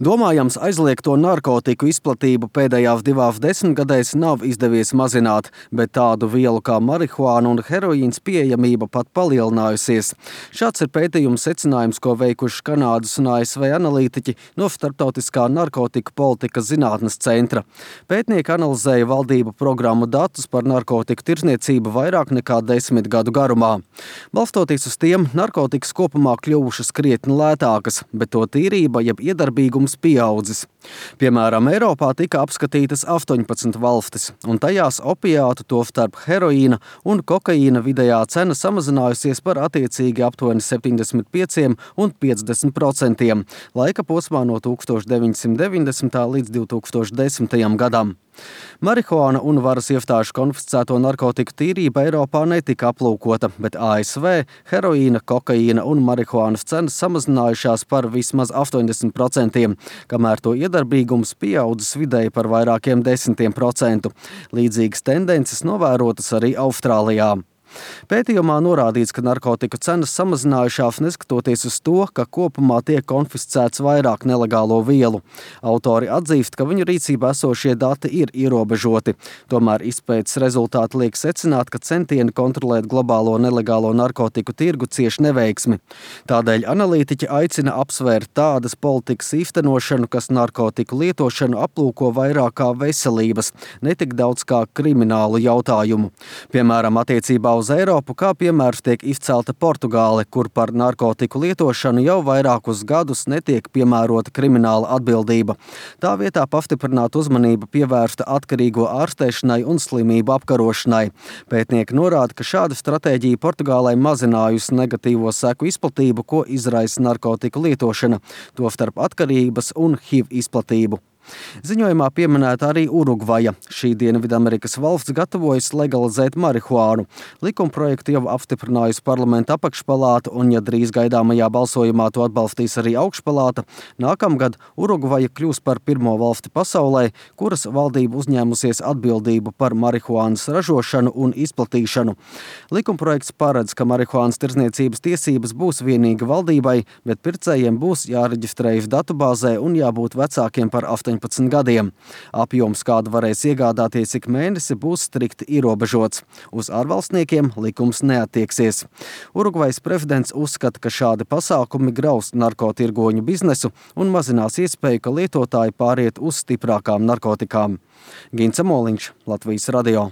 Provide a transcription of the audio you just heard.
Domājams, aizliegto narkotiku izplatību pēdējās 2 desmitgadēs nav izdevies mazināt, bet tādu vielu kā marihuāna un heroīns pieejamība pat palielinājusies. Šāds ir pētījuma secinājums, ko veikuši Kanādas un ASV analītiķi no Starptautiskā narkotiku politikas zinātnes centra. Pētnieki analizēja valdību programmu datus par narkotiku tirdzniecību vairāk nekā 10 gadu garumā. Balstoties uz tiem, narkotikas kopumā kļuvušas krietni lētākas, bet to tīrība jeb iedarbīgums pieaudzis. Piemēram, Eiropā tika apskatītas 18 valstis, un tajās opiātu, tostarp heroīna un kokaīna vidējā cena samazinājusies par attiecīgi aptuveni 75 un 50% laika posmā no 1990. līdz 2010. gadam. Marihuāna un varas iestāžu konfiscēto narkotiku tīrība Eiropā netika aplūkota, bet ASV heroīna, kokaīna un marihuānas cenas samazinājušās par vismaz 80%, kamēr to iedarbīgums pieaudzis vidēji par vairākiem 10%. Līdzīgas tendences novērotas arī Austrālijā. Pētījumā norādīts, ka narkotiku cenas samazinājušās neskatoties uz to, ka kopumā tiek konfiscēts vairāk nelegālo vielu. Autori atzīst, ka viņu rīcībā esošie dati ir ierobežoti. Tomēr izpētes rezultāti liek secināt, ka centieni kontrolēt globālo nelegālo narkotiku tirgu cieš neveiksmi. Tādēļ analītiķi aicina apsvērt tādas politikas īstenošanu, kas narkotiku lietošanu aplūko vairāk kā veselības, ne tik daudz kā kriminālu jautājumu. Piemēram, attiecībā uz Eiropu kā piemērs tiek izcelta Portugāle, kur par narkotiku lietošanu jau vairākus gadus netiek piemērota krimināla atbildība. Tā vietā pastiprināt uzmanību pievērsta atkarīgo ārstēšanai un slimību apkarošanai. Pētnieki norāda, ka šāda stratēģija Portugālei mazinājusi negatīvo seku izplatību, ko izraisa narkotiku lietošana, tostarp atkarības un HIV izplatību. Ziņojumā pieminēta arī Urugvaja. Šī Dienvidamerikas valsts gatavojas legalizēt marihuānu. Likumprojektu jau apstiprinājusi parlamenta apakšpalāta, un ja drīz gaidāmajā balsojumā to atbalstīs arī augšpalāta, nākamgad Urugvaja kļūs par pirmo valsti pasaulē, kuras valdība uzņēmusies atbildību par marihuānas ražošanu un izplatīšanu. Likumprojekts paredz, ka marihuānas tirdzniecības tiesības būs vienīgi valdībai, bet pircējiem būs jāreģistrējas datubāzē un jābūt vecākiem par 18 gadiem. Apjoms, kādu varēs iegādāties ik mēnesi, būs strikti ierobežots. Uz ārvalstniekiem likums neattieksies. Urugvajas prezidents uzskata, ka šādi pasākumi graus narkotirgoņu biznesu un mazinās iespēju, ka lietotāji pāriet uz stiprākām narkotikām. Gints Amoliņš, Latvijas radio.